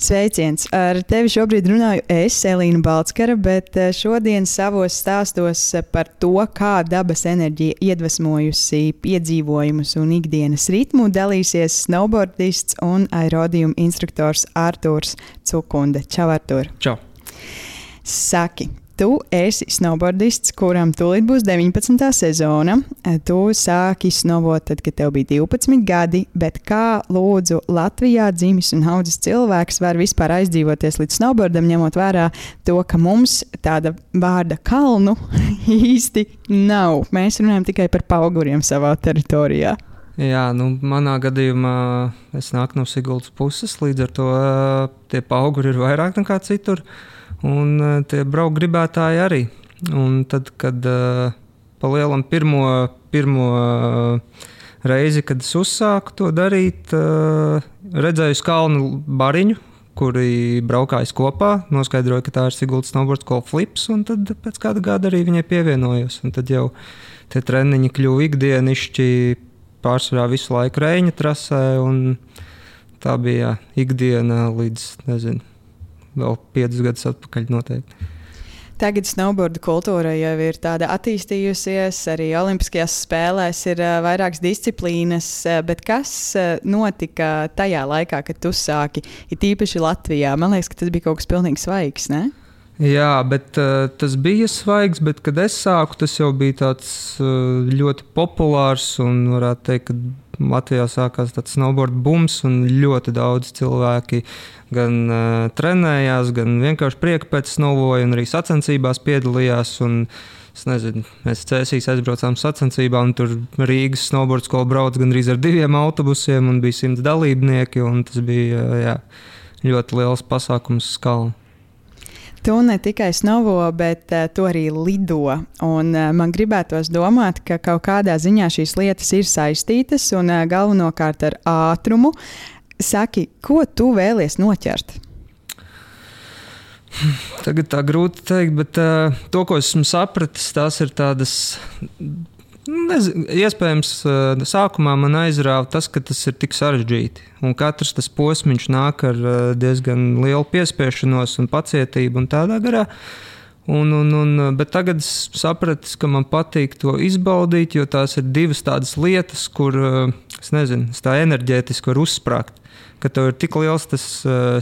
Sveiciens! Ar tevi šobrīd runāju es, Elīna Balckara, bet šodien savos stāstos par to, kā dabas enerģija iedvesmojusi piedzīvojumus un ikdienas ritmu, dalīsies snowboardists un aerodījuma instruktors Artūrs Cukunde. Čau, Artūr! Čau! Saki, tu esi snowboardists, kuram tūlīt būs 19. sezona. Tu sāki snowboard tad, kad tev bija 12 gadi, bet kā lūdzu Latvijā dzimis un audzis cilvēks var vispār aizdzīvoties līdz snowboardam, ņemot vērā to, ka mums tāda vārda kalnu īsti nav. Mēs runājam tikai par pauguriem savā teritorijā. Jā, manā gadījumā es nāku no Siguldas puses, līdz ar to tie pauguri ir vairāk nekā citur. Un tie braukt gribētāji arī. Un tad, kad pa lielam pirmo reizi, kad es uzsāku to darīt, redzēju uz kalnu bariņu, kuri braukājas kopā, noskaidroju, ka tā ir Siguldas snowboard school Flips, un tad pēc kāda gada arī viņai pievienojos. Un tad jau tie treniņi kļuva ikdienišķi, pārsvarā visu laiku Reņa trasē, un tā bija ikdiena līdz, nezinu, vēl 5 gadus atpakaļ noteikti. Tagad snowboarda kultūra jau ir tāda attīstījusies, arī Olimpiskajās spēlēs ir vairākas disciplīnas, bet kas notika tajā laikā, kad tu sāki, ir tīpaši Latvijā? Man liekas, ka tas bija kaut kas pilnīgi svaigs, ne? Jā, bet tas bija svaigs, bet kad es sāku, tas jau bija tāds ļoti populārs un varētu teikt, ka Latvijā sākās tāds snowboard bums un ļoti daudz cilvēki gan trenējās, gan vienkārši prieka pēc snowboarda un arī sacensībās piedalījās. Un, es nezinu, mēs Cēsīs aizbraucām sacensībā un tur Rīgas snowboard skola brauc gandrīz ar 2 autobusiem un bija 100 dalībnieki un tas bija ļoti liels pasākums uz kalna. Tu ne tikai snovo, bet tu arī lido. Un, man gribētos domāt, ka kaut kādā ziņā šīs lietas ir saistītas un galvenokārt ar ātrumu. Saki, ko tu vēlies noķert? Tagad tā grūti teikt, bet to, ko esmu sapratis, tās ir tādas... Iespējams, sākumā man aizrāva tas, ka tas ir tik sarežģīti. Un katrs tas posmiņš nāk ar diezgan lielu piespiešanos un pacietību un tādā garā. Bet tagad es sapratu, ka man patīk to izbaudīt, jo tās ir divas tādas lietas, kur, es nezinu, es tā enerģētiski varu uzsprāgt. Ka tev ir tik liels tas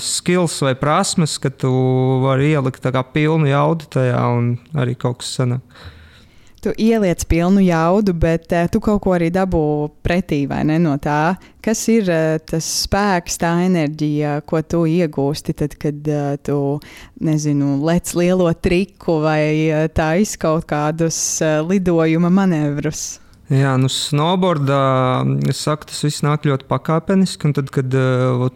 skills vai prasmes, ka tu vari ielikt tā kā pilnu jaudu tajā un arī kaut kas sanāk. Tu ieliec pilnu jaudu, bet tu kaut ko arī dabū pretī, vai ne, no tā? Kas ir tas spēks, tā enerģija, ko tu iegūsti tad, kad tu, nezinu, lec lielo triku vai tais kaut kādus lidojuma manevrus? Jā, snowboardā, es saku, tas viss nāk ļoti pakāpeniski, un tad, kad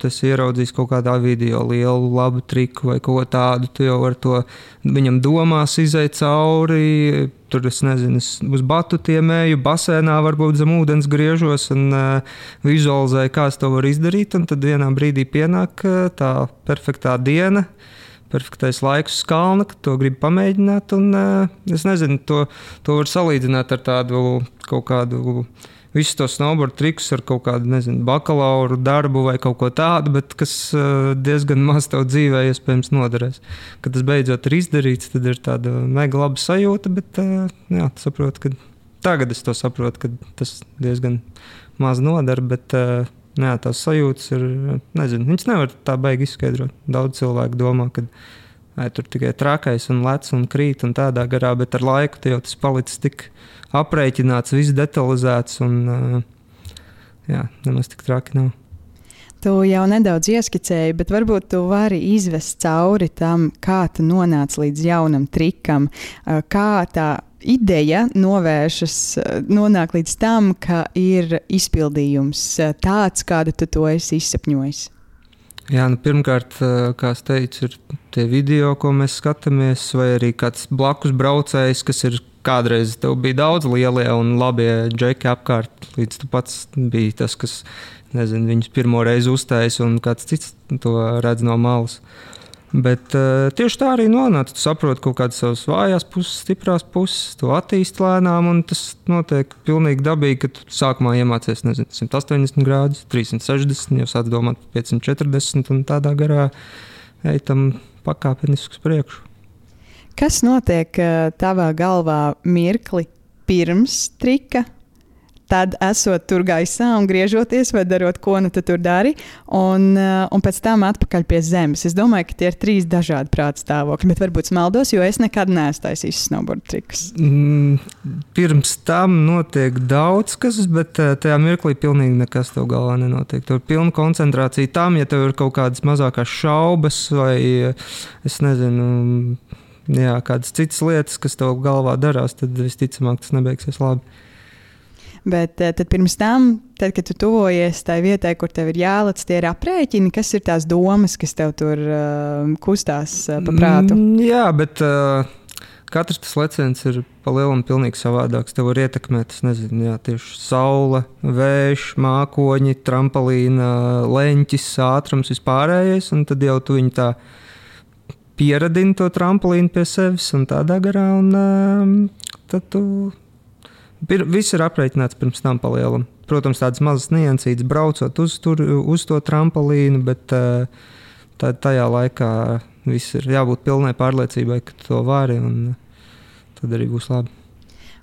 es ieraudzīju kaut kādā video lielu labu triku vai ko tādu, tu jau ar to viņam domās izeit cauri, tur es nezinu, es uz batutiem eju, basēnā varbūt zem ūdens griežos un vizualizēju, kā es to varu izdarīt, un tad vienā brīdī pienāk tā perfektā diena, perfektais laiks uz kalna, ka to gribu pamēģināt, un es nezinu, to var salīdzināt ar tādu kaut kādu, visu to snowboard trikus ar kaut kādu, nezinu, bakalauru darbu vai kaut ko tādu, bet kas diezgan maz tev dzīvē iespējams noderēs. Kad tas beidzot ir izdarīts, tad ir tāda mega laba sajūta, bet jā, saprotu, ka tagad es to saprotu, ka tas diezgan maz noder, bet jā, tās sajūtas ir, nezinu, viņas nevar tā baigi izskaidrot. Daudz cilvēku domā, ka tur tikai trakais un lec un krīt un tādā garā, bet ar laiku jau tas palicis tik aprēķināts, viss detalizēts un jā, nemaz tik traki nav. Tu jau nedaudz ieskicēji, bet varbūt tu vari izvest cauri tam, kā tu nonāc līdz jaunam trikam, kā tā ideja nonāk līdz tam, ka ir izpildījums tāds, kādu tu to esi izsapņojis. Jā, pirmkārt, kā es teicu, ir tie video, ko mēs skatāmies, vai arī kāds blakus braucējs, kas ir kādreiz tev bija daudz lielie un labie džeki apkārt, līdz tu pats biji tas, kas, nezinu, viņus pirmo reizi uztais un kāds cits to redz no malas. Bet tieši tā arī nonāca. Tu saproti kaut kādas savas vājās puses, stiprās puses, tu attīsti lēnām, un tas notiek pilnīgi dabīgi, ka tu sākumā iemācies, 180 grādus, 360, jau sāc domāt par 540, un tādā garā ej tam pakāpeniski uz priekšu. Kas notiek tavā galvā mirkli pirms trika? Tad esot tur gaisā un griežoties vai darot, ko nu tu tur dari, un pēc tam atpakaļ pie zemes. Es domāju, ka tie ir 3 dažādi prāta stāvokļi, bet varbūt maldos, jo es nekad neesmu taisījis snowboard trikus. Pirms tam notiek daudz kas, bet tajā mirklī pilnīgi nekas tev galvā nenotiek. Tur ir pilna koncentrācija tam, ja tev ir kaut kādas mazākās šaubas vai, es nezinu, kādas citas lietas, kas tev galvā darās, tad visticamāk tas nebeigsies labi. Bet tad pirms tam, tad, kad tu tuvojies tai vietai, kur tev ir jālec, tie ir aprēķini, kas ir tās domas, kas tev tur kustās pa prātu? Jā, bet katrs tas leciens ir pa lielam pilnīgi savādāks. Tev var ietekmēt, es nezinu, tieši saule, vējš, mākoņi, trampolīna, leņķis, ātrums, vispārējais, un tad jau tu viņu tā pieradini to trampolīnu pie sevis un tādā garā, un tad tu... Viss ir aprēķināts pirms tam pa lielam. Protams, tādas mazas niansītas braucot uz to trampolīnu, bet tajā laikā viss ir jābūt pilnai pārliecībai, ka tu to vari, un tad arī būs labi.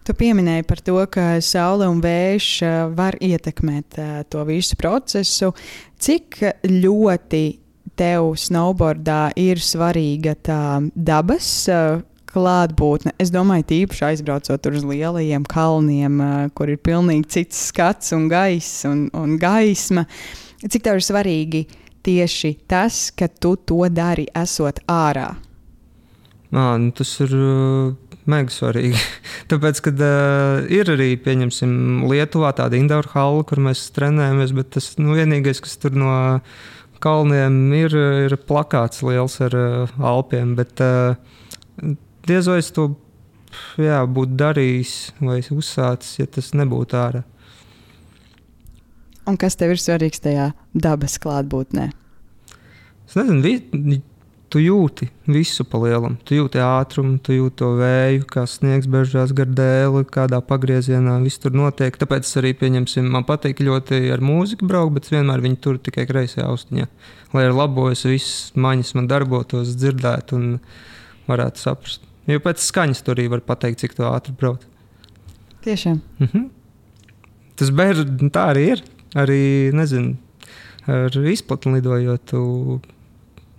Tu pieminēji par to, ka saule un vējš var ietekmēt to visu procesu. Cik ļoti tev snowboardā ir svarīga tā dabas klātbūtne? Es domāju, tīpaši aizbraucot uz lielajiem kalniem, kur ir pilnīgi cits skats un gaiss un gaisma. Cik tev ir svarīgi tieši tas, ka tu to dari esot ārā? Tas ir mega svarīgi. Tāpēc, kad ir arī, pieņemsim, Lietuvā tāda indoor halla, kur mēs trenējamies, bet tas vienīgais, kas tur no kalniem ir plakāts liels ar Alpiem, bet diez vai es to būtu darījis vai uzsācis, ja tas nebūtu ārā. Un kas tev ir svarīgs tajā dabas klātbūtnē? Es nezinu, tu jūti visu pa lielam. Tu jūti ātrumu, tu jūti to vēju, kā sniegs beržās gar dēli, kādā pagriezienā viss tur notiek. Tāpēc arī, pieņemsim, man patīk ļoti ar mūziku braukt, bet vienmēr viņi tur tikai kreisajā austiņā. Lai ir labojas, viss maņas man darbotos, dzirdētu un varētu saprast. Jo pēc skaņas tur arī var pateikt, cik to ātri braukt. Tiešām. Tas tā arī ir. Arī, nezinu, ar izplatni lidojot, tu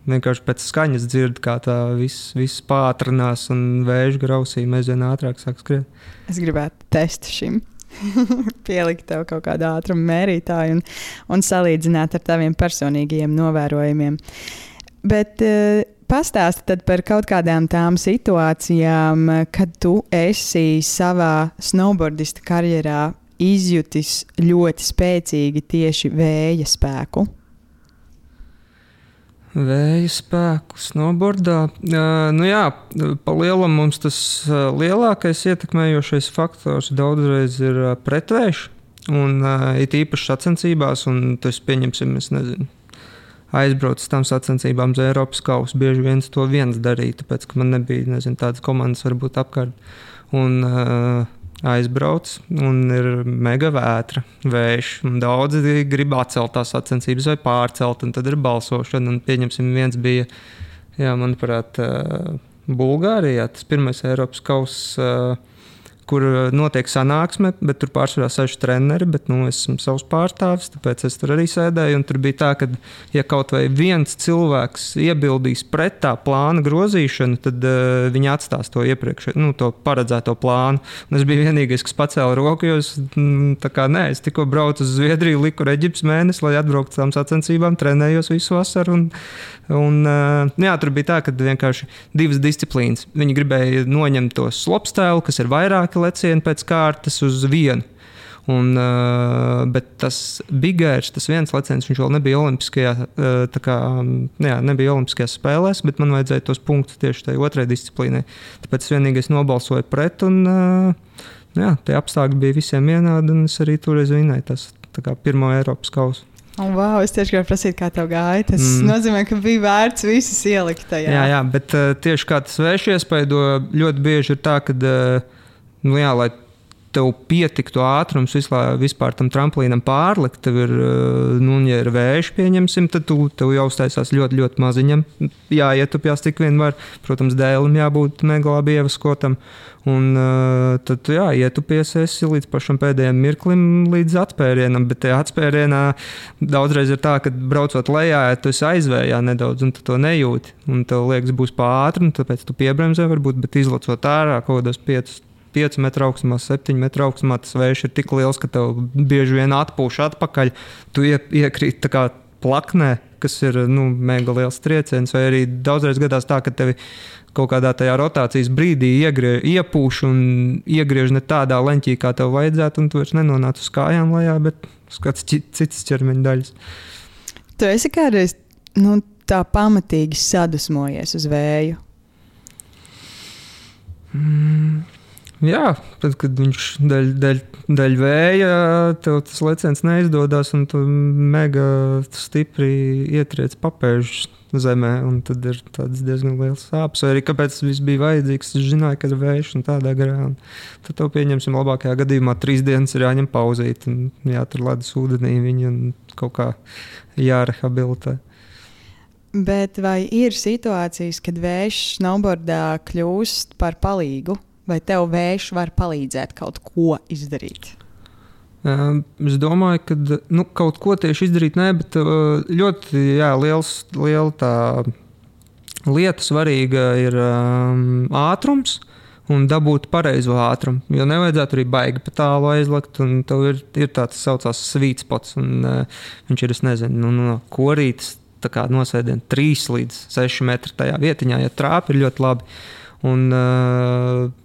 vienkārši pēc skaņas dzirdi, kā tā viss pātrinās un vēža grausī aizvien ātrāk sāk skriet. Es gribētu testu šim. Pielikt tev kaut kādu ātrumu mērītāju un salīdzināt ar taviem personīgajiem novērojumiem. Bet pastāsti tad par kaut kādām tām situācijām, kad tu esi savā snowboardista karjerā izjutis ļoti spēcīgi tieši vēja spēku. Vēja spēku snowboardā. Pa lielam mums tas lielākais ietekmējošais faktors daudzreiz ir pretvējš. Un it īpaši sacensībās, un tas pieņemsim, es nezinu, aizbraucu tām sacensībām uz Eiropas kausu. Bieži viens to viens darīja, tāpēc, ka man nebija, tādas komandas varbūt apkārt. Un aizbrauc, un ir mega vētra, vējš. Daudzi grib atcelt tās sacensības vai pārcelt, un tad ir balsošana. Un pieņemsim, viens bija, manuprāt, Bulgārijā, tas pirmais Eiropas kauss, kur notiek sanāksme, bet tur pārsvarā sēž treneri, bet es esmu savs pārstāvis, tāpēc es tur arī sēdēju. Un tur bija tā, ka, ja kaut vai viens cilvēks iebildīs pret tā plāna grozīšanu, tad viņi atstās to iepriekš, to paredzēto plānu. Un es biju vienīgais, kas pacēla roku, jo es es tikko braucu uz Zviedriju, liku Eģiptes mēnesi, lai atbrauktu tām sacensībām, trenējos visu vasaru. Tur bija tā, ka vienkārši divas disciplīnas. Viņi gribēja noņemt to slopestēlu, kas ir vairāki lecieni pēc kārtas uz vienu. Bet tas bigairs, tas viens leciens, viņš vēl nebija nebija olimpiskajās spēlēs, bet man vajadzēja tos punktus tieši tai otrai disciplīnai. Tāpēc es vienīgais nobalsoju pret, un tie apstākļi bija visiem vienādi, un es arī toreiz vinēju tas pirmo Eiropas kausu. Wow, es tieši gribēju prasīt, kā tev gāja. Tas nozīmē, ka bija vērts visas ielikt tajā. Jā, bet tieši kā tas vējš iespaido, ļoti bieži ir tā, ka, lai tev pietiktu ātrums vispār tam tramplīnam pārlikt, tev ir, ja ir vējš, pieņemsim, tad tev jau uztaisās ļoti, ļoti maziņam. Jāietupjās tik vien var. Protams, dēlim jābūt mega labi ievaskotam. Un tad tu ietupies esi līdz pašam pēdējiem mirklim, līdz atspērienam. Bet tajā atspērienā daudzreiz ir tā, ka braucot lejā, tu esi aizvējā nedaudz un tu to nejūti. Un tev liekas, būs pāri, un tāpēc tu piebremzē varbūt, bet izlacot ārā kaut kādos 5 metru augstumā, 7 metru augstumā, tas vējš ir tik liels, ka tev bieži vien atpūš atpakaļ. Tu iekrīt tā kā plaknē, kas ir mega liels trieciens, vai arī daudzreiz gadās tā, ka tevi kaut kādā tajā rotācijas brīdī iepūš un iegriež ne tādā leņķī, kā tev vajadzētu, un tu vairs nenonāc uz kājām lejā, bet uz kāds cits ķermeņa daļas. Tu esi kādreiz tā pamatīgi sadusmojies uz vēju? Jā, tad, kad viņš daļ vēja, tev tas leciens neizdodas un tu mega stipri ietriec papēžus zemē, un tad ir tāds diezgan liels sāpes. Vai arī kāpēc tas viss bija vajadzīgs, es zināju, ka ir vējš un tādā garā. Un tad tev pieņemsim labākajā gadījumā 3 dienas ir jāņem pauzīt un jātur ledus ūdenī viņi un kaut kā jārehabilitē. Bet vai ir situācijas, kad vējš snowboardā kļūst par palīgu? Vai tev vējš var palīdzēt kaut ko izdarīt? Es domāju, ka kaut ko tieši izdarīt nē, bet ļoti liela tā lieta svarīga ir ātrums un dabūt pareizo ātrumu. Jo nevajadzētu arī baigi pa tālu aizlekt, un tev ir tāds saucās sweet spots, un viņš ir, es nezinu, no korītes tā kā nosēdien 3 līdz 6 metri tajā vietiņā, ja trāpi ir ļoti labi. Un,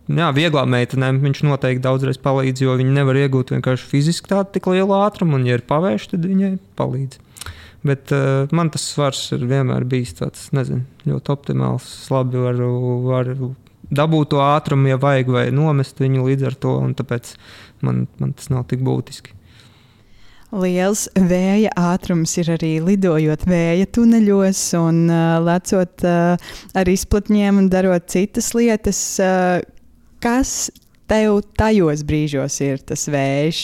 vieglām meitenēm viņš noteikti daudzreiz palīdz, jo viņi nevar iegūt vienkārši fiziski tādu tik lielu ātrumu, un, ja ir pavērš, tad viņai palīdz. Bet man tas svars ir vienmēr bijis tāds, ļoti optimāls. Es labi varu dabūt to ātrumu, ja vajag, vai nomest viņu līdz ar to, un tāpēc man tas nav tik būtiski. Liels vēja ātrums ir arī lidojot vēja tuneļos un lecot ar izplatņiem un darot citas lietas. Kas tev tajos brīžos ir tas vējš?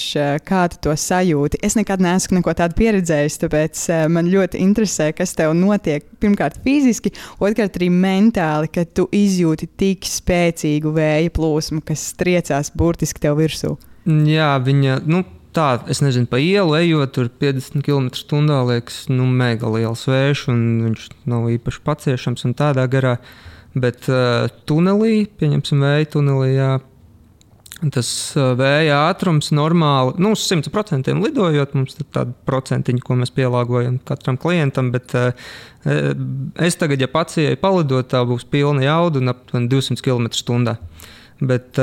Kā tu to sajūti? Es nekad neesmu neko tādu pieredzējis, tāpēc man ļoti interesē, kas tev notiek. Pirmkārt fiziski, otrkārt arī mentāli, kad tu izjūti tik spēcīgu vēja plūsmu, kas triecās burtiski tev virsū. Jā, viņa... Tā, es nezinu, pa ielu ejot, tur 50 km/h liekas, mega liels vējš, un viņš nav īpaši paciešams un tādā garā. Bet tunelī, pieņemsim vēja tunelī, tas vēja ātrums normāli, 100% lidojot, mums ir tāda procentiņa, ko mēs pielāgojam katram klientam, bet es tagad, ja pats ieeju palidot, tā būs pilna jauda un aptuveni 200 km/h. Bet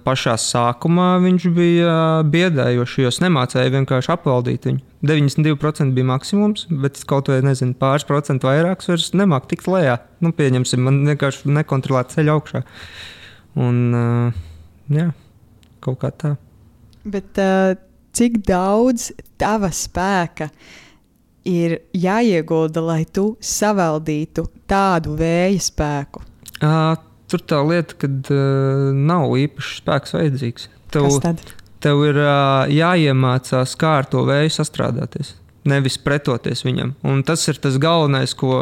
pašā sākumā viņš bija biedējošs, jo es nemācēju vienkārši apvaldīt viņu. 92% bija maksimums, bet es kaut vai nezinu, pāris procentu vairāks vairs nemāku tikt lejā. Pieņemsim, man vienkārši nekontrolēt ceļu augšā. Un, kaut kā tā. Bet cik daudz tava spēka ir jāiegulda, lai tu savaldītu tādu vēja spēku? Tur tā lieta, kad nav īpaši spēks vajadzīgs. Tev ir jāiemācās, kā ar to vēju sastrādāties, nevis pretoties viņam. Un tas ir tas galvenais, ko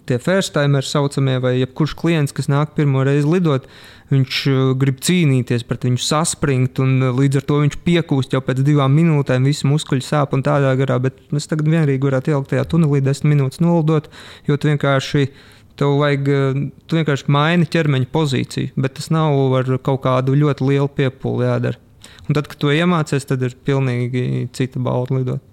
tie first-timeri saucamie, vai jebkurš klients, kas nāk pirmo reizi lidot, viņš grib cīnīties pret viņu, saspringt, un līdz ar to viņš piekūst jau pēc 2 minūtēm, visi muskuļi sāp un tādā garā, bet mēs tagad vienīgi varētu ielikt tajā tunelī 10 minūtes nolidot, jo tu vienkārši maini ķermeņa pozīciju, bet tas nav ar kaut kādu ļoti lielu piepūli jādara. Un tad, kad to iemācies, tad ir pilnīgi cita bauda lidot.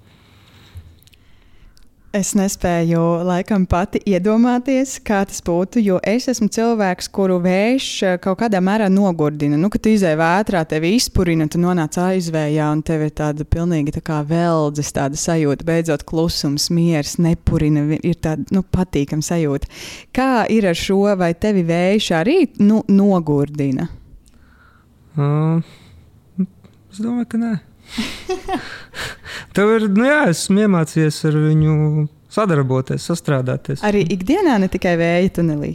Es nespēju laikam pati iedomāties, kā tas būtu, jo es esmu cilvēks, kuru vējš kaut kādā mērā nogurdina. Kad tu izej vētrā, tevi izpurina, tu nonāc aizvējā un tev ir tāda pilnīgi tā kā veldzes tāda sajūta, beidzot klusums, miers, nepurina, ir tāda patīkama sajūta. Kā ir ar šo, vai tevi vējš arī nogurdina? Es domāju, ka nē. Tev ir, esmu iemācījies ar viņu sadarboties, sastrādāties. Arī ikdienā, ne tikai vēja tunelī?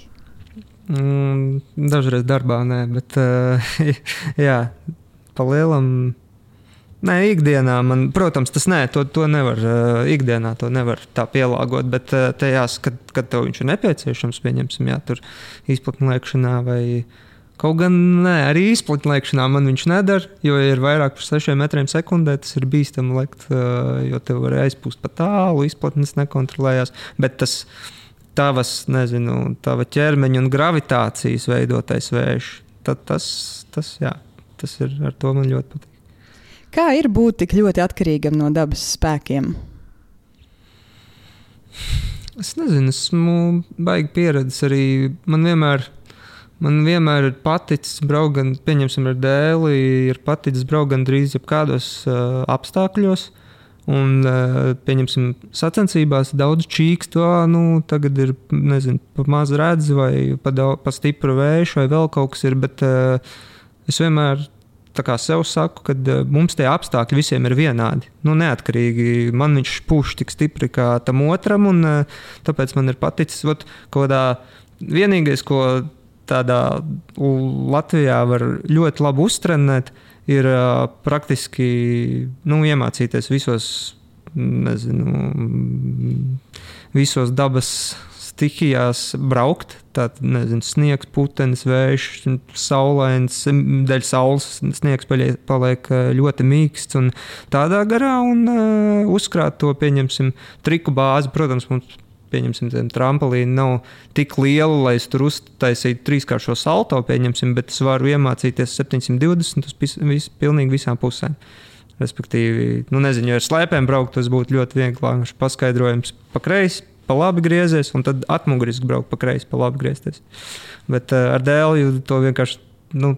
Dažreiz darbā, nē, bet jā, pa lielam. Nē, ikdienā man, protams, tas to nevar, ikdienā to nevar tā pielāgot, bet te jāsaka, kad tev viņš ir nepieciešams, pieņemsim, tur izplatnēkšanā vai kaut gan arī izplatnēkšanā man viņš nedara, jo ir vairāk par 6 metriem sekundē, tas ir bīstami lekt, jo tev var aizpūst pa tālu, izplatnes nekontrolējās, bet tava ķermeņa un gravitācijas veidotais vējš, tad tas ir, ar to man ļoti patīk. Kā ir būt tik ļoti atkarīgam no dabas spēkiem? Es nezinu, esmu baigi pieredzis arī. Man vienmēr ir paticis braukt, pieņemsim ar dēli, ir paticis braukt gandrīz jebkādos apstākļos. Un, pieņemsim, sacensībās daudz čīkst, tagad ir, nezinu, pa maz redz vai pa stipru vēju vai vēl kaut kas ir, bet es vienmēr tā kā sev saku, ka mums tie apstākļi visiem ir vienādi. Neatkarīgi. Man viņš pūš tik stipri kā tam otram, un tāpēc man ir paticis. Vienīgais, ko tādā Latvijā var ļoti labi uztrenēt, ir praktiski iemācīties visos dabas stihijās braukt. Tātad, sniegs, putenis, vējš, saulains, dēļ saules sniegs paliek ļoti mīksts un tādā garā un uzkrāt to, pieņemsim, triku bāzi. Protams, mums, pieņemsim, trampolīni nav tik liela, lai es tur uztaisītu 3-kāršo salto, pieņemsim, bet es varu iemācīties 720 uz pilnīgi visām pusēm. Respektīvi, ja ar slēpēm braukt, tas būtu ļoti vienkārši paskaidrojums pa kreisi, pa labi griezies, un tad atmuguriski braukt pa kreisi, pa labi griezties. Bet ar dēli to vienkārši,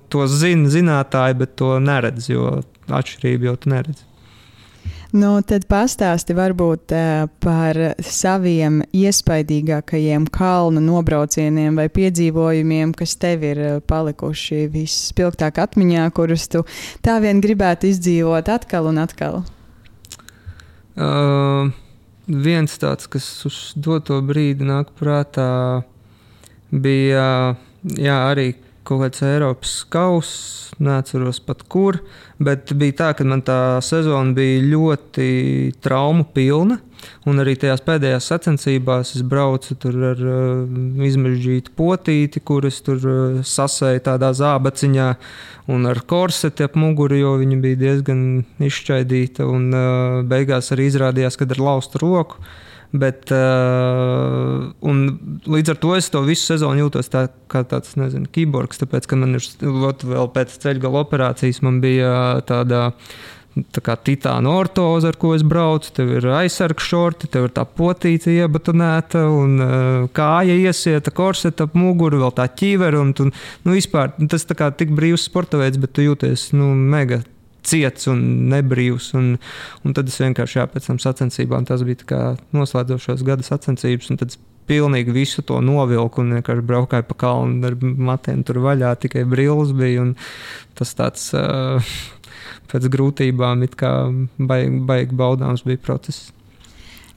to zinātāji, bet to neredz, jo atšķirību jau tu neredz. Tad pastāsti varbūt par saviem iespaidīgākajiem kalnu nobraucieniem vai piedzīvojumiem, kas tev ir palikuši visspilgtāk atmiņā, kurus tu tā vien gribētu izdzīvot atkal un atkal. Viens tāds, kas uz doto brīdi nāk prātā, bija arī kaut kāds Eiropas kauss, neatceros pat kur, bet bija tā, ka man tā sezona bija ļoti traumu pilna, un arī tajās pēdējās sacensībās es braucu tur ar izmežģītu potīti, kuras tur sasēju tādā zābaciņā, un ar korseti ap muguru, jo viņa bija diezgan izšķaidīta, un beigās arī izrādījās, kad ar laustu roku. Bet, un līdz ar to es to visu sezonu jūtos kā tāds, kiborgs, tāpēc, ka man ir vēl pēc ceļgala operācijas man bija tā kā titāna ortoze, ar ko es braucu, tev ir aizsargs šorti, tev ir tā potīte iebatonēta un kāja iesieta, korseta ap muguru, vēl tā ķīvera, un vispār tas tā kā tik brīvs sporta veids, bet tu jūties, mega ciets un nebrīvs, un tad es vienkārši pēc tam sacensībām, tas bija tā kā noslēdzošos gada sacensības, un tad es pilnīgi visu to novilku un vienkārši braukāju pa kalnu ar matiem tur vaļā, tikai brilles bija, un tas tāds pēc grūtībām it kā baigi baudāms bija process.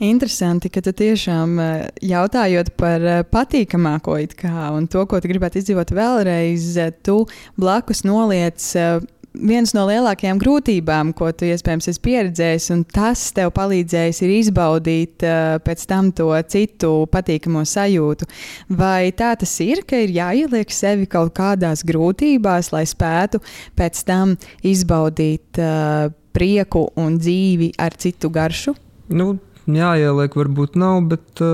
Interesanti, ka tu tiešām jautājot par patīkamāko it kā un to, ko tu gribētu izdzīvot vēlreiz, tu blakus noliec viens no lielākajām grūtībām, ko tu iespējams esi pieredzējis, un tas tev palīdzējis ir izbaudīt pēc tam to citu patīkamo sajūtu. Vai tā tas ir, ka ir jāieliek sevi kaut kādās grūtībās, lai spētu pēc tam izbaudīt prieku un dzīvi ar citu garšu? Jāieliek varbūt nav, bet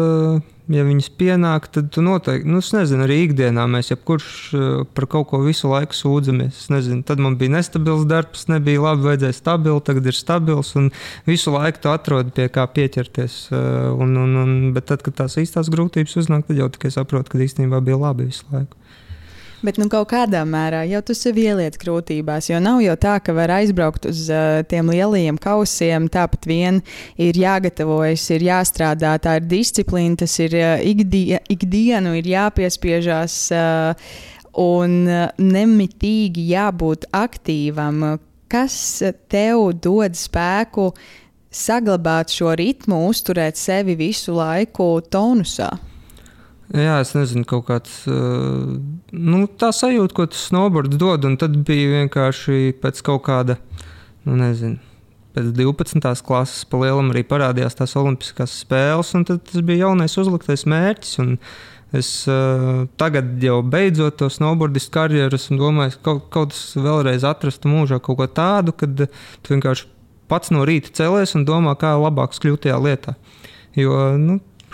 ja viņas pienāk, tad tu noteikti, es nezinu, arī ikdienā mēs jebkurš par kaut ko visu laiku sūdzamies. Es nezinu, tad man bija nestabils darbs, nebija labi, vajadzēja stabili, tagad ir stabils, un visu laiku tu atrodi pie kā pieķerties. Bet tad, kad tās īstās grūtības uznāk, tad jau tikai saprotu, ka īstenībā bija labi visu laiku. Bet kaut kādā mērā jau tu sevi ieliec grūtībās, jo nav jau tā, ka var aizbraukt uz tiem lielajiem kausiem, tāpat vien ir jāgatavojas, ir jāstrādā, tā ir disciplīna, tas ir ikdienu ir jāpiespiežās un nemitīgi jābūt aktīvam. kas tev dod spēku saglabāt šo ritmu, uzturēt sevi visu laiku tonusā? Jā, es nezinu, kaut kāds tā sajūta, ko tas snowboards dod, un tad bija vienkārši pēc kaut kāda, pēc 12. klases pa lielam arī parādījās tās olimpiskās spēles, un tad tas bija jaunais uzliktais mērķis, un es tagad jau beidzot to snowboardistu karjeru, un domāju, kaut kas vēlreiz atrastu mūžā kaut ko tādu, kad tu vienkārši pats no rīta celies un domā, kā labāks kļūt tajā lietā. Jo,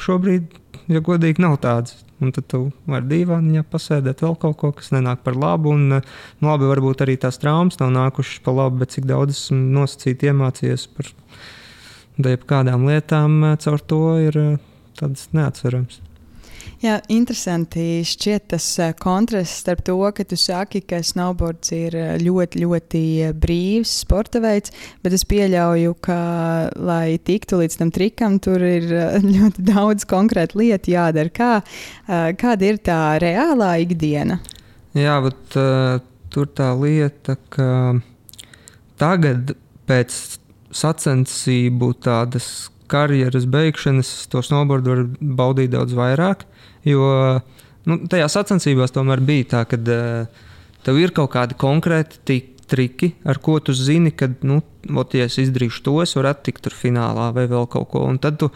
šobrīd, ja godīgi, nav tāds. Un tad tu vari dīvāniņā pasēdēt vēl kaut ko, kas nenāk par labu. Un, labi, varbūt arī tās traumas nav nākušas par labu, bet cik daudz esmu nosacīti iemācījies par kādām lietām, caur to ir tāds neatcerams. Jā, interesanti šķiet tas kontrasts starp to, ka tu saki, ka snowboards ir ļoti, ļoti brīvs sporta veids, bet es pieļauju, ka, lai tiktu līdz tam trikam, tur ir ļoti daudz konkrētu lietu jādara. Kāda ir tā reālā ikdiena? Jā, bet tur tā lieta, ka tagad pēc sacensību tādas karjeras beigšanas to snowboardu var baudīt daudz vairāk. Jo tajā sacensībās tomēr bija tā, ka tev ir kaut kādi konkrēti triki, ar ko tu zini, ka, ja es izdarīšu to, es varu attikt tur finālā vai vēl kaut ko. Un tad tu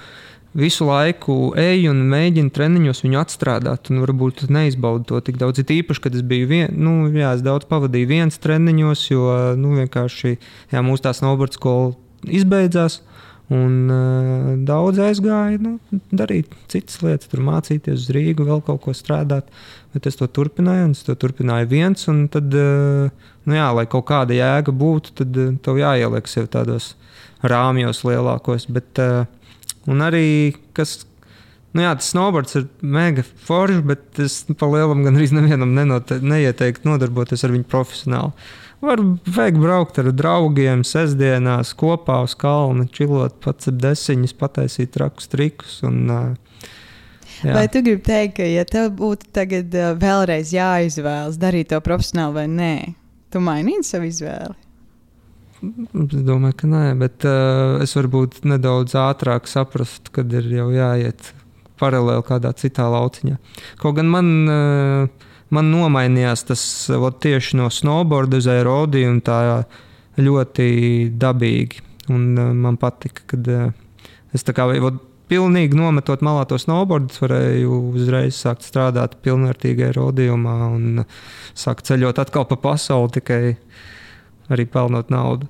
visu laiku ej un mēģini treniņos viņu atstrādāt, un varbūt neizbaudi to tik daudz. Ir īpaši, kad es biju es daudz pavadīju viens treniņos, jo vienkārši mūsu tā snowboard skola izbeidzās. Un daudz aizgāja darīt citas lietas, tur mācīties uz Rīgu, vēl kaut ko strādāt. Bet es to turpināju, un es to turpināju viens. Un tad, lai kaut kāda jēga būtu, tad tev jāieliek sev tādos rāmjos lielākos. Bet, un arī, tas snowboards ir mega forši, bet es pa lielam gan arī nevienam neieteiktu nodarboties ar viņu profesionāli. Vajag braukt ar draugiem sestdienās kopā uz kalnu, čilot, pats ar desiņas, pataisīt trakus trikus. Vai tu gribi teikt, ka ja tev būtu tagad vēlreiz jāizvēlas darīt to profesionāli vai nē, tu mainītu savu izvēli? Es domāju, ka nē, bet es varbūt nedaudz ātrāk saprastu, kad ir jau jāiet paralēli kādā citā lauciņā. Kaut gan man nomainījās tas tieši no snowboarda uz aerodiju un tā ļoti dabīgi. Un man patika, kad es tā kā pilnīgi nometot malā to snowboardu, varēju uzreiz sākt strādāt pilnvērtīgi aerodijumā un sākt ceļot atkal pa pasauli, tikai arī pelnot naudu.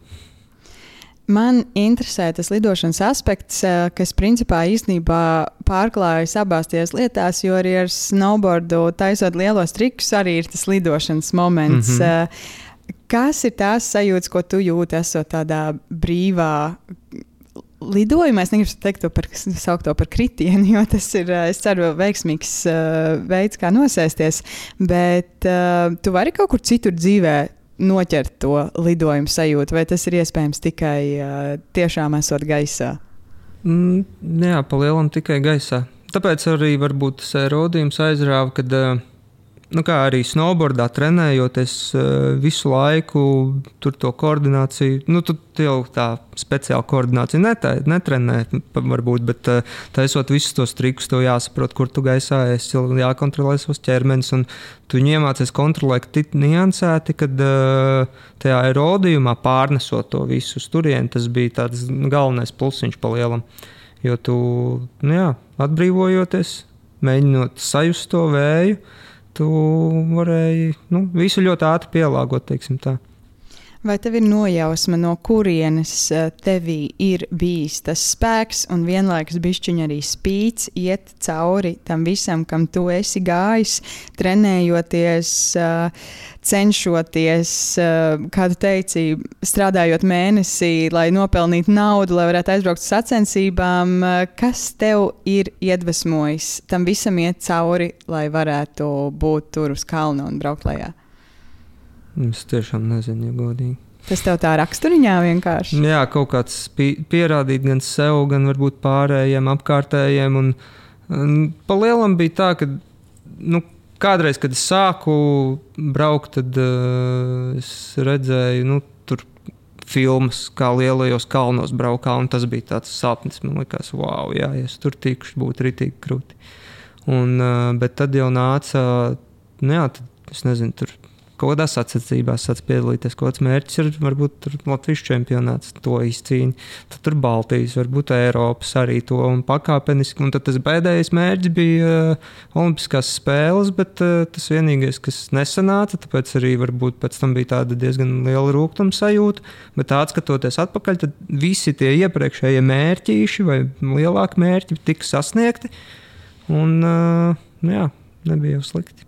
Man interesē tas lidošanas aspekts, kas principā īstenībā pārklājas abās tajās lietās, jo arī ar snowboardu taisot lielos trikus arī ir tas lidošanas moments. Kas ir tās sajūtas, ko tu jūti, esot tādā brīvā lidojumā? Es negribu saukt to par kritienu, jo tas ir, es ceru, veiksmīgs veids, kā nosēsties, bet tu vari kaut kur citur dzīvē noķert to lidojumu sajūtu, vai tas ir iespējams tikai tiešām esot gaisā? Jā, pa lielam tikai gaisā. Tāpēc arī varbūt tas aerodījums aizrāva, kad kā arī snowboardā trenējoties visu laiku, tur to koordināciju, tu jau tā speciāli koordināciju netrenē, varbūt, bet taisot visus tos trikus, tev jāsaprot, kur tu gaisā esi, jākontrolē savus ķermenis, un tu viņu iemācies kontrolēt tik niansēti, kad tajā aerodījumā pārnesot to visu uz turieni, tas bija tāds galvenais plusiņš pa lielam, jo tu, atbrīvojoties, mēģinot sajust to vēju, tu varēji visu ļoti ātri pielāgot, teiksim tā. Vai tev ir nojausma, no kurienes tevī ir bijis tas spēks un vienlaikus bišķiņ arī spīts iet cauri tam visam, kam tu esi gājis, trenējoties, cenšoties, kā tu teici, strādājot mēnesī, lai nopelnītu naudu, lai varētu aizbraukt uz sacensībām. Kas tev ir iedvesmojis tam visam iet cauri, lai varētu būt tur uz kalna un braukt lejā? Es tiešām nezinu, ja godīgi. Tas tev tā raksturiņā vienkārši? Jā, kaut kāds pierādīt gan sev, gan varbūt pārējiem, apkārtējiem. Un pa lielam bija tā, ka kādreiz, kad es sāku braukt, tad es redzēju, tur filmas, kā lielajos kalnos braukā, un tas bija tāds sapnis. Man likās, wow, jā, ja es tur tikšu, būtu ritīgi krūti. Bet tad jau nāca, tad, es nezinu, tur kaut kādās sacensībās sāc piedalīties. Kaut kāds mērķis ir varbūt tur Latvijas čempionāts, to izcīņa. Tad tur Baltijas, varbūt Eiropas arī to un pakāpeniski. Un tad tas pēdējais mērķis bija Olimpiskās spēles, bet tas vienīgais, kas nesanāca, tāpēc arī varbūt pēc tam bija tāda diezgan liela rūgtuma sajūta. Bet atskatoties atpakaļ, tad visi tie iepriekšējie mērķīši vai lielāki mērķi tika sasniegti. Un nebija jau slikti.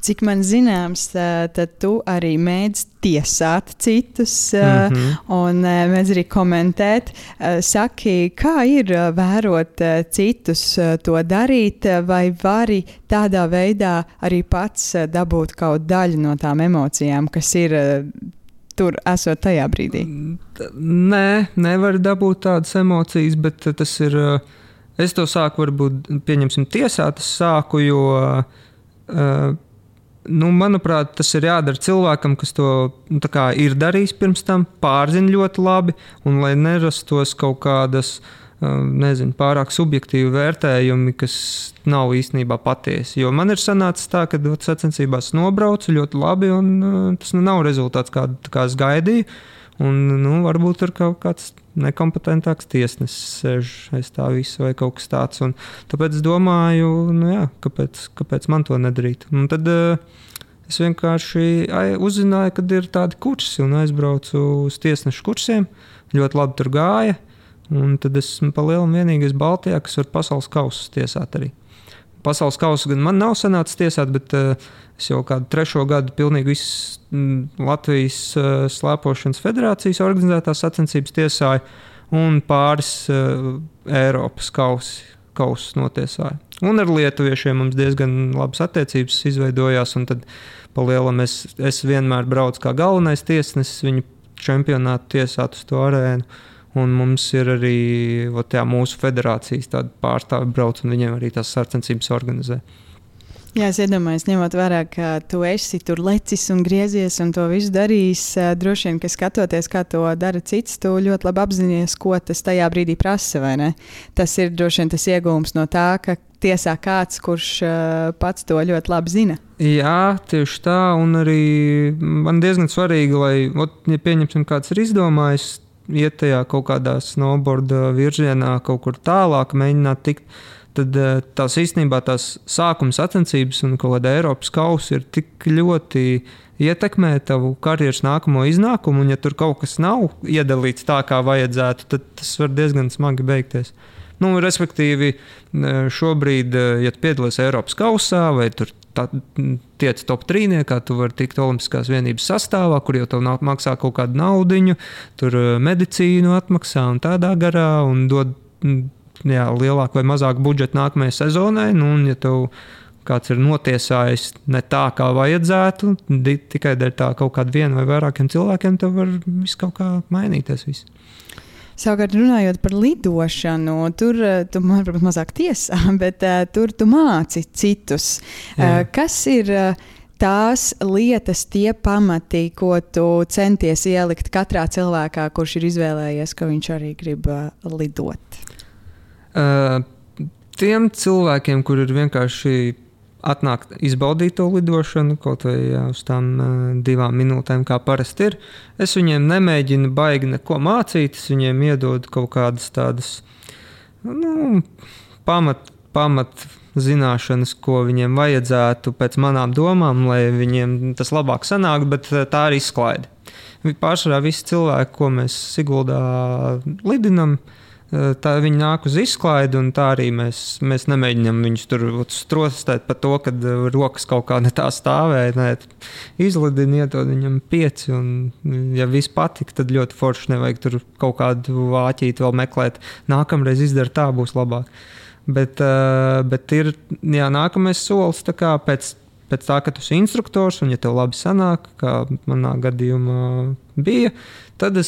Cik man zināms, tad tu arī mēdz tiesāt citus un mēdz arī komentēt. Saki, kā ir vērot citus to darīt, vai vari tādā veidā arī pats dabūt kaut daļu no tām emocijām, kas ir tur esot tajā brīdī? Nē, nevar dabūt tādas emocijas, bet tas ir, es to sāku varbūt, pieņemsim, tiesāt, es sāku, jo manuprāt, tas ir jādara cilvēkam, kas to ir darījis pirms tam, pārzina ļoti labi, un lai nerastos kaut kādas, pārāk subjektīvi vērtējumi, kas nav īstenībā patiesi. Jo man ir sanācis tā, ka sacensībās nobraucu ļoti labi, un tas nav rezultāts, kā es gaidīju. Un, varbūt ir kaut kāds nekompetentāks tiesnesis sēž aiz tā visa vai kaut kas tāds. Un tāpēc es domāju, kāpēc man to nedarīt. Un tad es vienkārši uzzināju, kad ir tādi kursi un aizbraucu uz tiesnešu kursiem. Ļoti labi tur gāja. Un tad esmu pa lielam vienīgais Baltijā, kas var pasaules kausus tiesāt arī. Pasaules kausu gan man nav sanācis tiesāt, bet es jau kādu 3. gadu pilnīgi visas Latvijas slēpošanas federācijas organizētās sacensības tiesāju un pāris Eiropas kausus notiesāju. Un ar lietuviešiem mums diezgan labas attiecības izveidojās, un tad pa lielam es vienmēr braucu kā galvenais tiesnesis viņu čempionātu tiesāt uz to arēnu. Un mums ir arī mūsu federācijas pārstāvi brauc, un viņiem arī tās sacensības organizē. Jā, es iedomājos, ņemot vērā, ka tu esi tur lecis un griezies un to visu darījis. Droši vien, ka skatoties, kā to dara cits, tu ļoti labi apzinies, ko tas tajā brīdī prasa, vai ne? Tas ir droši vien tas iegūms no tā, ka tiesā kāds, kurš pats to ļoti labi zina. Jā, tieši tā, un arī man diezgan svarīgi, lai, ja pieņemsim, kāds ir izdomājis, iet tajā kaut kādā snowboarda virzienā, kaut kur tālāk mēģināt tikt, tad tās īstenībā tās sākuma sacensības un kaut kāda Eiropas kausa ir tik ļoti ietekmē tavu karjeras nākamo iznākumu, un ja tur kaut kas nav iedalīts tā, kā vajadzētu, tad tas var diezgan smagi beigties. Respektīvi, šobrīd, ja tu piedalies Eiropas kausā vai tur tiec top 3, tu vari tikt Olimpiskās vienības sastāvā, kur jau tev maksā kaut kādu naudiņu, tur medicīnu atmaksā un tādā garā, un dod lielāku vai mazāku budžetu nākamajai sezonai. Un ja tev kāds ir notiesājis ne tā, kā vajadzētu, tikai dēļ tā kaut kādu vienu vai vairākiem cilvēkiem, tev var viss kaut kā mainīties. Viss. Savukārt, runājot par lidošanu, tur tu, varbūt mazāk tiesā, bet tur tu māci citus. Kas ir tās lietas, tie pamati, ko tu centies ielikt katrā cilvēkā, kurš ir izvēlējies, ka viņš arī grib lidot? Tiem cilvēkiem, kur ir vienkārši atnākt izbaudīt to lidošanu, kaut vai uz tām 2 minūtēm, kā parasti ir. Es viņiem nemēģinu baigi neko mācīt, es viņiem iedodu kaut kādas tādas pamat zināšanas, ko viņiem vajadzētu pēc manām domām, lai viņiem tas labāk sanāk, bet tā ir izklaide. Pārsvarā visi cilvēki, ko mēs Siguldā lidinam, tā viņi nāk uz izklaidi, un tā arī mēs nemēģinām viņus tur strostēt par to, kad rokas kaut kā ne tā stāvēja. Nē, izlidini, iedod viņam 5, un ja viss patika, tad ļoti forši, nevajag tur kaut kādu vāķīti vēl meklēt. Nākamreiz izdara tā, būs labāk. Bet ir nākamais solis tā kā pēc tā, ka tu esi instruktors, un ja tev labi sanāk, kā manā gadījumā bija, tad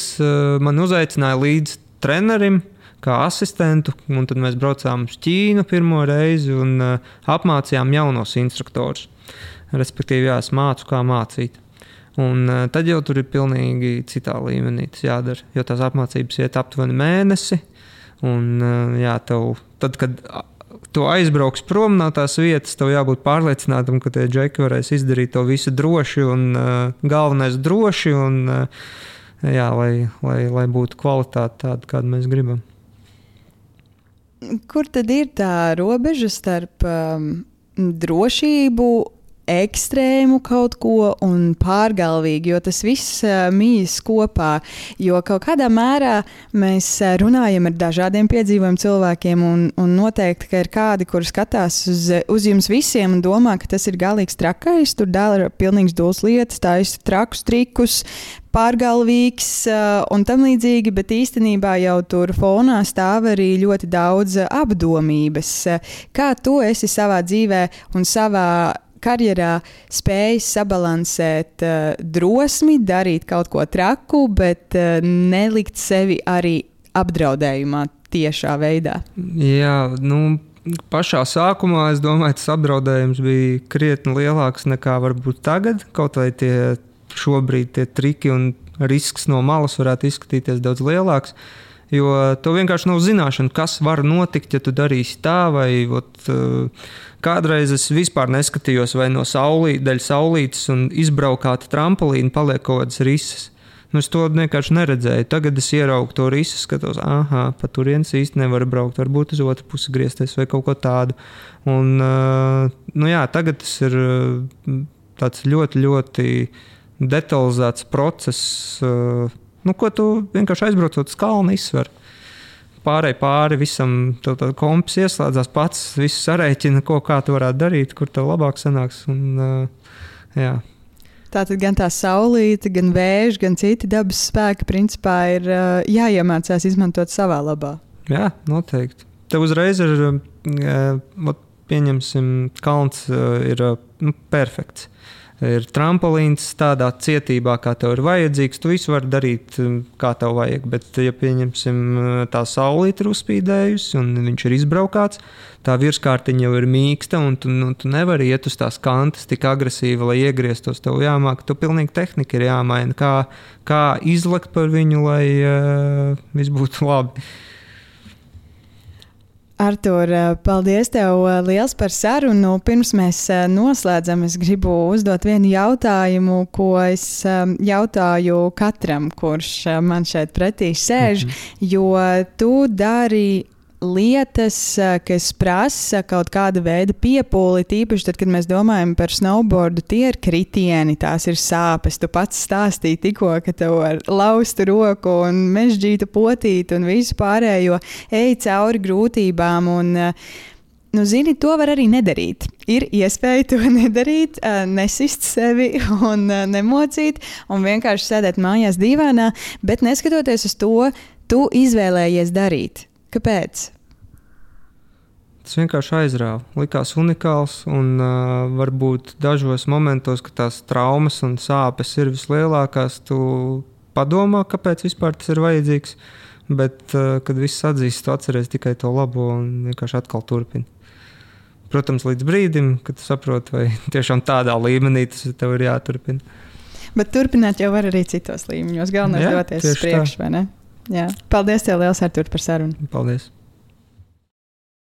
man uzaicināja līdz trenerim, kā asistentu, un tad mēs braucām uz Ķīnu pirmo reizi un apmācījām jaunos instruktorus. Respektīvi, es mācu, kā mācīt. Un tad jau tur ir pilnīgi citā līmenī tas jādara, jo tās apmācības iet aptuveni mēnesi. Un, jā, tad, kad tu aizbrauks prom no tās vietas, tev jābūt pārliecinātam, ka tie džeki varēs izdarīt to visu droši un galvenais droši, un, jā, lai būtu kvalitāte tāda, kādu mēs gribam. Kur tad ir tā robeža starp drošību, ekstrēmu kaut ko un pārgalvīgi, jo tas viss mīs kopā, jo kaut kādā mērā mēs runājam ar dažādiem piedzīvojumu cilvēkiem un noteikti, ka ir kādi, kuri skatās uz jums visiem un domā, ka tas ir galīgs trakais, tur dara pilnīgs dūls lietas, taisa trakus trikus, pārgalvīgs un tam līdzīgi, bet īstenībā jau tur fonā stāv arī ļoti daudz apdomības. Kā tu esi savā dzīvē un savā karjerā spējis sabalansēt drosmi, darīt kaut ko traku, bet nelikt sevi arī apdraudējumā tiešā veidā? Jā, pašā sākumā es domāju, tas apdraudējums bija krietni lielāks nekā varbūt tagad. Kaut vai šobrīd tie triki un risks no malas varētu izskatīties daudz lielāks. Jo tev vienkārši nav zināšana, kas var notikt, ja tu darīsi tā, vai kādreiz es vispār neskatījos, vai no saulītes un izbraukāta trampolīna paliek kaut kādas risas. Es to vienkārši neredzēju. Tagad es ieraugu to risu, skatos, pa turienes īsti nevar braukt, varbūt uz otru pusi griezties vai kaut ko tādu. Un, jā, tagad tas ir tāds ļoti, ļoti detalizēts process, ko tu vienkārši aizbraucot uz kalnu izsver. Pāri visam, tev tā kompis ieslēdzās pats, visu sarēķina, kā tu varētu darīt, kur tev labāk sanāks. Un, jā. Tātad gan tā saulīte, gan vējš, gan citi dabas spēki principā ir jāiemācās izmantot savā labā. Jā, noteikti. Tev uzreiz ir, pieņemsim, kalns ir perfekts. Ir trampolīns tādā cietībā, kā tev ir vajadzīgs. Tu visu vari darīt, kā tev vajag. Bet, ja pieņemsim, tā saulīte ir uzspīdējusi un viņš ir izbraukāts, tā virskārtiņa jau ir mīksta un tu nevari iet uz tās kantas tik agresīvi, lai iegrieztos. Tev jāmāk, tu pilnīgi tehnika ir jāmaina. Kā izlekt par viņu, lai viss būtu labi. Artur, paldies tev liels par sarunu. Pirms mēs noslēdzam, es gribu uzdot vienu jautājumu, ko es jautāju katram, kurš man šeit pretī sēž, jo tu dari lietas, kas prasa kaut kāda veida piepūli, tīpaši tad, kad mēs domājam par snowboardu, tie ir kritieni, tās ir sāpes. Tu pats stāstīji tikko, ka tev ar laustu roku un mežģītu potīti un visu pārējo ej cauri grūtībām un, zini, to var arī nedarīt. Ir iespēja to nedarīt, nesist sevi un nemocīt un vienkārši sēdēt mājās dīvainā, bet neskatoties uz to, tu izvēlējies darīt. Kāpēc? Tas vienkārši aizrāva. Likās unikāls un varbūt dažos momentos, kad tās traumas un sāpes ir vislielākās, tu padomā, kāpēc vispār tas ir vajadzīgs, bet, kad viss atzīst, tu atceries tikai to labo un vienkārši atkal turpini. Protams, līdz brīdim, kad tu saproti, vai tiešām tādā līmenī tas tev ir jāturpina. Bet turpināt jau var arī citos līmeņos. Galvenais doties uz priekšu, vai ne? Jā. Paldies tev liels, Artur, par sarunu. Paldies.